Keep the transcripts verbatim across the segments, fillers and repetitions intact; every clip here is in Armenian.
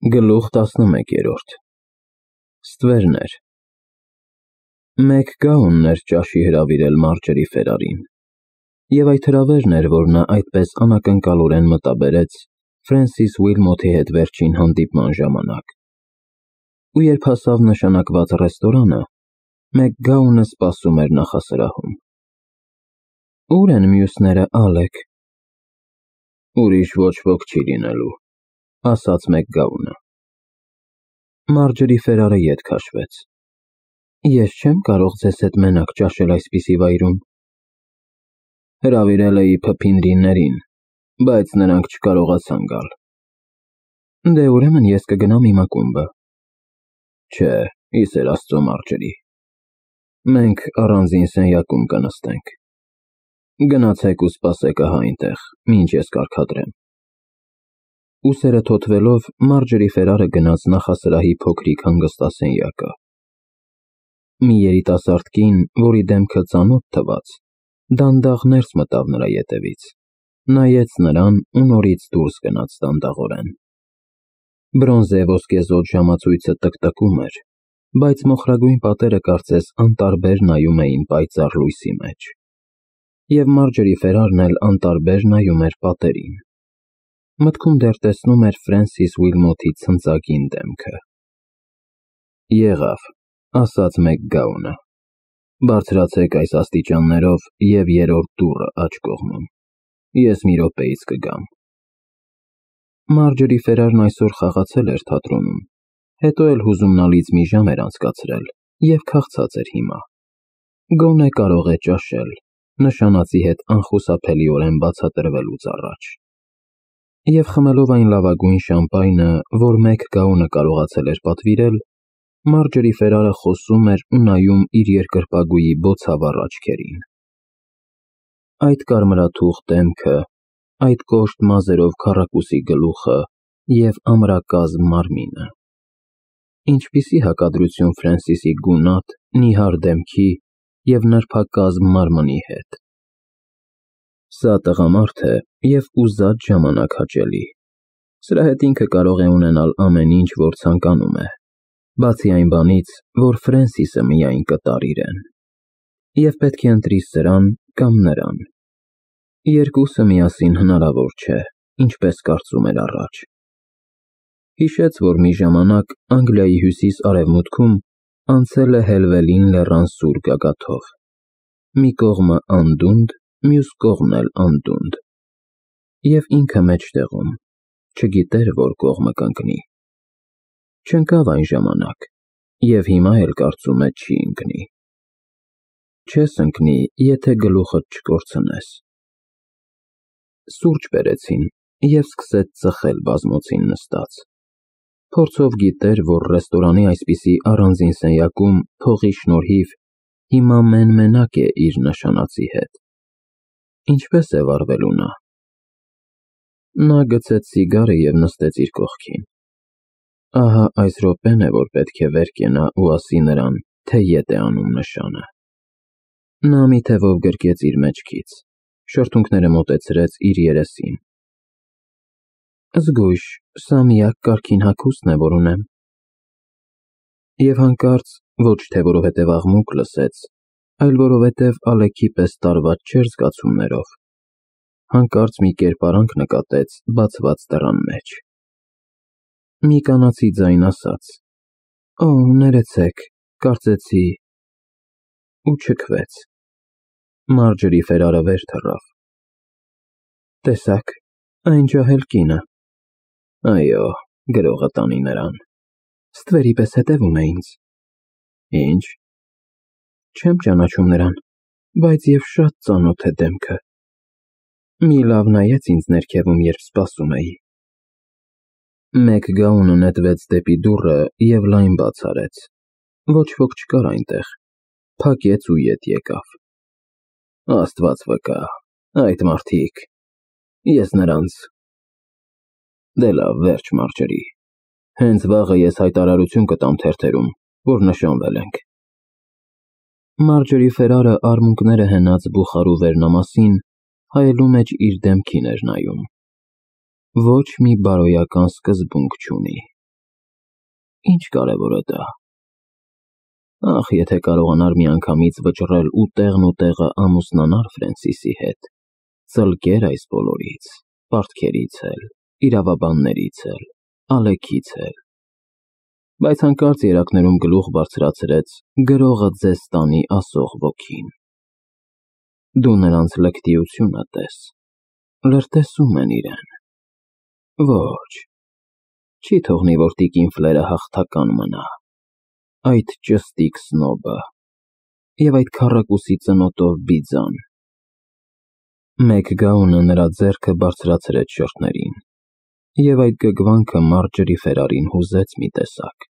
Գլուխ տասնմեկերորդ Ստվերներ Մեկ գաունն էր ճաշի հրավիրել Մարջերի Ֆերարին, և այդ հրավերն էր, որ նա այդպես անակնկալորեն մտաբերեց Ֆրենսիս Ուիլմոթի հետ վերջին հանդիպման ժամանակ, ու երբ հասավ նշանակված ռեստորանը, մեկ գաունը սպասում էր նախասրահում։ Ո՞ւր են մյուսները, Ալեք։ Ուրիշ ոչ ոք չի լինելու, ասաց մեկ գաունը։ Մարջերի Ֆերարը ետ քաշվեց։ Ես չեմ կարող ձեզ հետ մենակ ճաշել այսպիսի վայրում։ Հրավիրել էի փփինրիներին, բայց նրանք չկարողացան գալ։ Դե ուրեմն ես կգնամ իմ ակումբը։ Չէ, ի սեր Աստծո, Մարջերի, մենք առանձին սենյակում կնստենք։ Գնացեք ու սպասեք ահա այնտեղ, մինչ ես կարգադրեմ։ Ուսերը թոթվելով, Մարջերի Ֆերարը գնաց նախասրահի փոքրիկ հանգստասենյակը։ Մի երիտասարդ կին, որի դեմքը ծանոթ թվաց, դանդաղ ներս մտավ նրա ետևից, նայեց նրան ու նորից դուրս գնաց դանդաղորեն։ Բրոնզե ոսկեզօծ ժամացույցը տկտկում էր, բայց մոխրագույն պատերը կարծես անտարբեր նայում էին պայծառ լույսի մեջ, և Մարջերի Ֆերարն էլ անտարբեր նայում էր պատերին։ Մտքում դեռ տեսնում էր Ֆրենսիս Ուիլմոթի ցնծագին դեմքը։ Եղավ, ասաց մեկ գաունը, բարձրացեք այս աստիճաններով և երրորդ դուռը աջ կողմում, ես մի րոպեից կգամ։ Մարջերի Ֆերարն այսօր խաղացել էր թատրոնում, հետո էլ հուզումնալից մի ժամ էր անցկացրել և քաղցած էր հիմա։ Գոնե կարող է ճաշել, նշանածի հետ անխուսափելիորեն բացատրվելուց առաջ։ Եվ խմելով այն լավագույն շամպայնը, որ մեկ գաունը կարողացել էր պատվիրել, Մարջերի Ֆերարը խոսում էր ու նայում իր երկրպագուի բոցավառ աչքերին։ Այդ կարմրաթուխ դեմքը, այդ կոշտ մազերով քառակուսի գլուխը և ամրակազմ մարմինը։ Ինչպիսի հակադրություն Ֆրենսիսի գունատ, նիհար դեմքի և նրբակազմ մարմնի հետ։ Սա տղամարդ է և ուզած ժամանակ հաճելի։ Սրա հետ ինքը կարող է ունենալ ամեն ինչ, որ ցանկանում է, բացի այն բանից, որ Ֆրենսիսը միայն կտար իրեն։ Եվ պետք է ընտրի սրան կամ նրան։ Երկուսը միասին հնարավոր չէ, ինչպես կարծում էր առաջ։ Հիշեց, որ մի ժամանակ Անգլիայի հյուսիս֊արևմուտքում անցել է Հելվելին լեռան սուր գագաթով։ Մի կողմը անդունդ, մյուս կողմն էլ անդունդ։ Եվ ինքը մեջտեղում, չգիտեր որ կողմը կընկնի։ Չընկավ այն ժամանակ, և հիմա էլ կարծում է չի ընկնի։ Չես ընկնի, եթե գլուխդ չկորցնես։ Սուրճ բերեցին և սկսեց ծխել բազմոցին նստած։ Փորձով գիտեր, որ ռեստորանի այսպիսի առանձին սենյակում փողի շնորհիվ հիմա մեն֊մենակ է իր նշանածի հետ։ Ինչպես է վարվելու նա։ Նա գցեց սիգարը և նստեց իր կողքին։ Ահա այս րոպեն է, որ պետք է վեր կենա ու ասի նրան, թե ետ է անում նշանը։ Նա մի թևով գրկեց իր մեջքից, շրթունքները մոտեցրեց իր երեսին։ Զգույշ, սա միակ կարգին հագուստն է, որ ունեմ։ Եվ հանկարծ, ոչ թե որովհետև աղմուկ լսեց, այլ որովհետև Ալեքի պես տարված չէր զգացումներով, հանկարծ մի կերպարանք նկատեց բացված դռան մեջ։ Մի կանացի ձայն ասաց. Օ, ներեցեք, կարծեցի… ու չքվեց։ Մարջերի Ֆերարը վեր թռավ։ Տեսա՞ք, այն ջահել կինը։ Այո, գրողը տանի նրան։ Ստվերի պես հետևում է ինձ։ Ինչ։ Չեմ ճանաչում նրան, բայց և շատ ծանոթ է դեմքը։ Մի լավ նայեց ինձ ներքևում, երբ սպասում էի։ Մեկ գաունը նետվեց դեպի դուռը և լայն բաց արեց։ Ոչ ոք չկար այնտեղ, փակեց ու ետ եկավ։ Աստված վկա, այդ մարդիկ… ես նրանց… Դե լավ, վերջ, Մարջերի, հենց վաղը ես հայտարարություն կտամ թերթերում, որ նշանվել ենք։ Մարջերի Ֆերարը արմունկները հենած բուխարու վերնամասին հայելու մեջ իր դեմքին էր նայում։ Ոչ մի բարոյական սկզբունք չունի։ ինչ կարևոր է դա։ Ախ, եթե կարողանար միանգամից վճռել ու տեղն ու տեղը ամուսնանար Ֆրենսիսի հետ, ծլկեր այս բոլորից, պարտքերից էլ, իրավաբաններից էլ, Ալեքից էլ։ Բայց հանկարծ երակներում գլուխ բարձրացրեց գրողը ձեզ տանի ասող ոգին։ Դու նրանց լկտիությունը տես, լրտեսում են իրեն։ Ոչ, չի թողնի, որ տիկին Ֆլերը հաղթական մնա, այդ ճստիկ սնոբը և այդ քառակուսի ծնոտով բիձան։ Մեկ գաունը նրա ձեռքը բարձրացրեց շրթներին, և այդ գգվանքը Մարջերի Ֆերարին հուզեց մի տեսակ։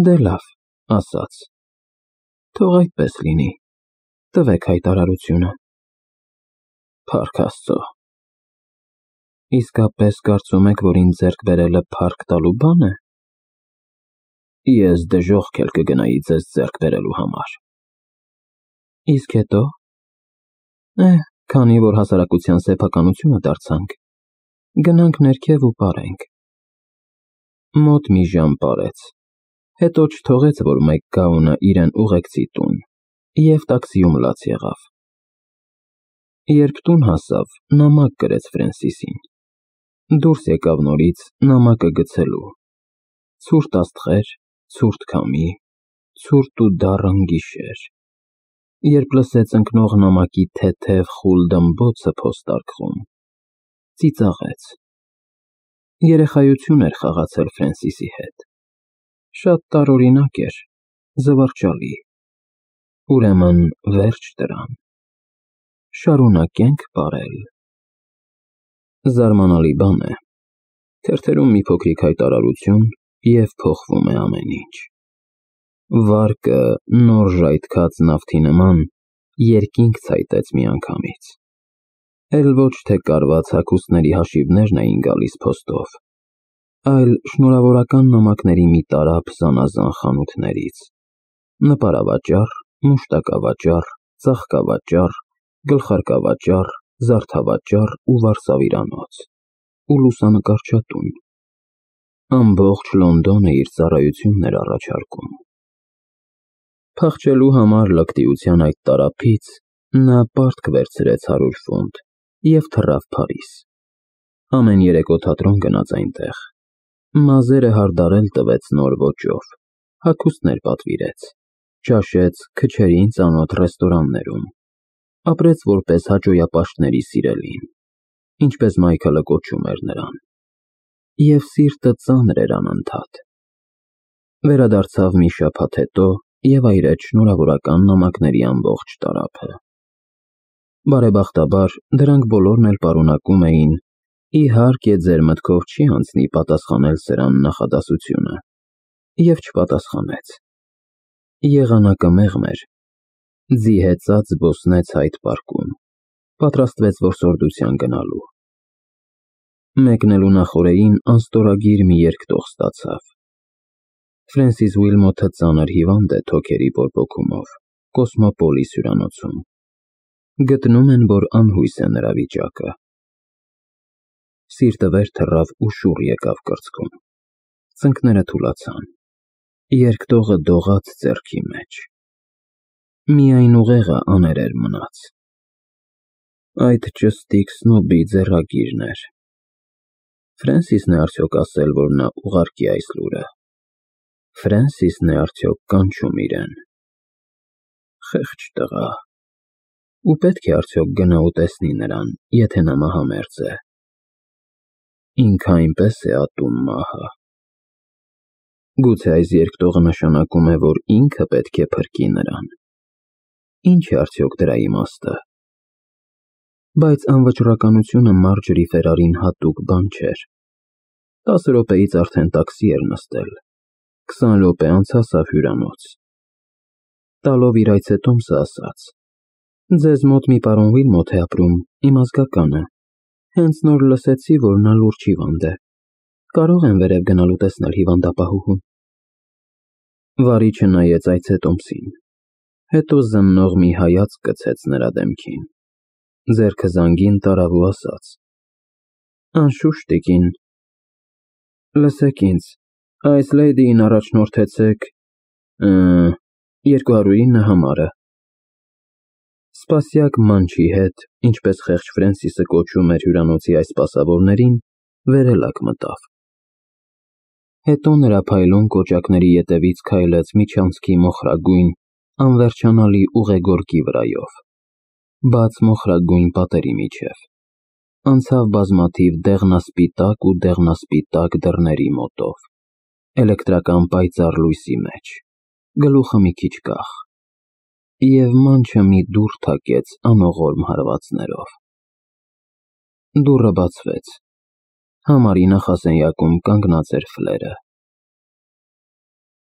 Դե լավ, ասաց, թող այդպես լինի, տվեք հայտարարությունը։ Փառք Աստծո։ Իսկապես կարծում եք, որ ինձ ձեռք բերելը փառք տալու բան է։ Ես դժոխք էլ կգնայի ձեզ ձեռք բերելու համար։ Իսկ հետո։ Է, քանի որ հասարակության սեփականությունը դարձանք, գնանք ներքև ու պարենք։ Մոտ մի ժամ պարեց, հետո չթողեց, որ մեկ գաունը իրեն ուղեկցի տուն, և տաքսիում լաց եղավ։ Երբ տուն հասավ, նամակ գրեց Ֆրենսիսին։ Դուրս եկավ նորից նամակը գցելու։ Ցուրտ աստղեր, ցուրտ քամի, ցուրտ ու դառն գիշեր։ Երբ լսեց ընկնող նամակի թեթև խուլ դմբոցը փոստարկղում, ծիծաղեց։ Երեխայություն էր խաղացել Ֆրենսիսի հետ։ Շատ տարօրինակ էր, զվարճալի։ Ուրեմն վերջ դրան։ Շարունակենք պարել։ Զարմանալի բան է, թերթերում մի փոքրիկ հայտարարություն, և փոխվում է ամեն ինչ։ Վարկը նոր ժայթքած նավթի նման երկինք ցայտեց միանգամից։ Էլ ոչ թե կարված հագուստների հաշիվներն էին գալիս փոստով, այլ շնորհավորական նամակների մի տարափ զանազան խանութներից՝ նպարավաճառ, մուշտակավաճառ, ծաղկավաճառ, գլխարկավաճառ, զարդավաճառ ու վարսավիրանոց, ու լուսանկարչատուն։ Ամբողջ Լոնդոնը իր ծառայությունն էր առաջարկում։ Փախչելու համար լկտիության այդ տարափից նա պարտք վերցրեց հարյուր ֆունտ և թռավ Փարիզ։ Ամեն երեկո թատրոն գնաց այնտեղ։ Մազերը հարդարել տվեց նոր ոճով, հագուստներ պատվիրեց, ճաշեց քչերին ծանոթ ռեստորաններում, ապրեց որպես հաճոյապաշտների սիրելին, ինչպես Մայքլը կոչում էր նրան, և սիրտը ծանր էր անընդհատ։ Վերադարձավ մի շաբաթ հետո և այրեց շնորհավորական նամակների ամբողջ տարափը։ Բարեբախտաբար, դրանք բոլորն էլ պարունակում էին. «Իհարկե, ձեր մտքով չի անցնի պատասխանել սրան նախադասությունը», և չպատասխանեց։ Եղանակը մեղմ էր։ Ձի հեծած զբոսնեց Հայդ պարկում, պատրաստվեց որսորդության գնալու։ Մեկնելու նախօրեին անստորագիր մի երկտող ստացավ։ Ֆրենսիս Ուիլմոթը ծանր հիվանդ է թոքերի բորբոքումով, Կոսմոպոլիս հյուրանոցում։ Գտնում են, որ անհույս է նրա վիճակը։ Սիրտը վեր թռավ ու շուռ եկավ կրծքում։ Ծնկները թուլացան։ Երկտողը դողաց ձեռքի մեջ։ Միայն ուղեղը աներեր մնաց։ Այդ ճստիկ սնոբի ձեռագիրն էր։ Ֆրենսիսն է արդյոք ասել, որ նա ուղարկի այս լուրը։ Ֆրենսիսն է արդյոք կանչում իրեն։ Խեղճ տղա։ Ու պետք է արդյոք գնա ու տեսնի նրան, եթե նա մահամերձ է։ Ինքը այնպես է ատում մահը։ Գուցե այս երկտողը նշանակում է, որ ինքը պետք է փրկի նրան։ Ինչ է արդյոք դրա իմաստը։ Բայց անվճռականությունը Մարջերի Ֆերարին հատուկ բան չէր։ Տասը րոպեից արդեն տաքսի էր նստել։ Քսան րոպե անց հասավ հյուրանոց։ Տալով իր այցետոմսը ասաց. «Ձեզ մոտ մի պարոն Ուիլմոթ է ապրում, իմ ազգականը։ Հենց նոր լսեցի, որ նա լուրջ հիվանդ է։ Կարո՞ղ եմ վերև գնալ ու տեսնել հիվանդապահուհուն»։ Վարիչը նայեց այցետոմսին, հետո զննող մի հայացք գցեց նրա դեմքին, ձեռքը զանգին տարավ ու ասաց. «Անշուշտ, տիկին»։ Լսեք ինձ, Այս լեյդիին առաջնորդեցեք երկու հարյուր ինը համարը։ Սպասյակ Մանչի հետ, ինչպես խեղճ Ֆրենսիսը կոչում էր հյուրանոցի այս սպասավորներին, վերելակ մտավ։ Հետո նրա փայլուն կոճակների ետևից քայլեց միջանցքի մոխրագույն, անվերջանալի ուղեգորգի վրայով, բաց մոխրագույն պատերի միջև, անցավ բազմաթիվ դեղնասպիտակ ու դեղնասպիտակ դռների մոտով, էլեկտրական պայծառ լույսի մեջ, գլուխը մի քիչ կախ, և Մանչը մի դուռ թակեց անողորմ հարվածներով։ Դուռը բացվեց։ Համարի նախասենյակում կանգնած էր Ֆլերը։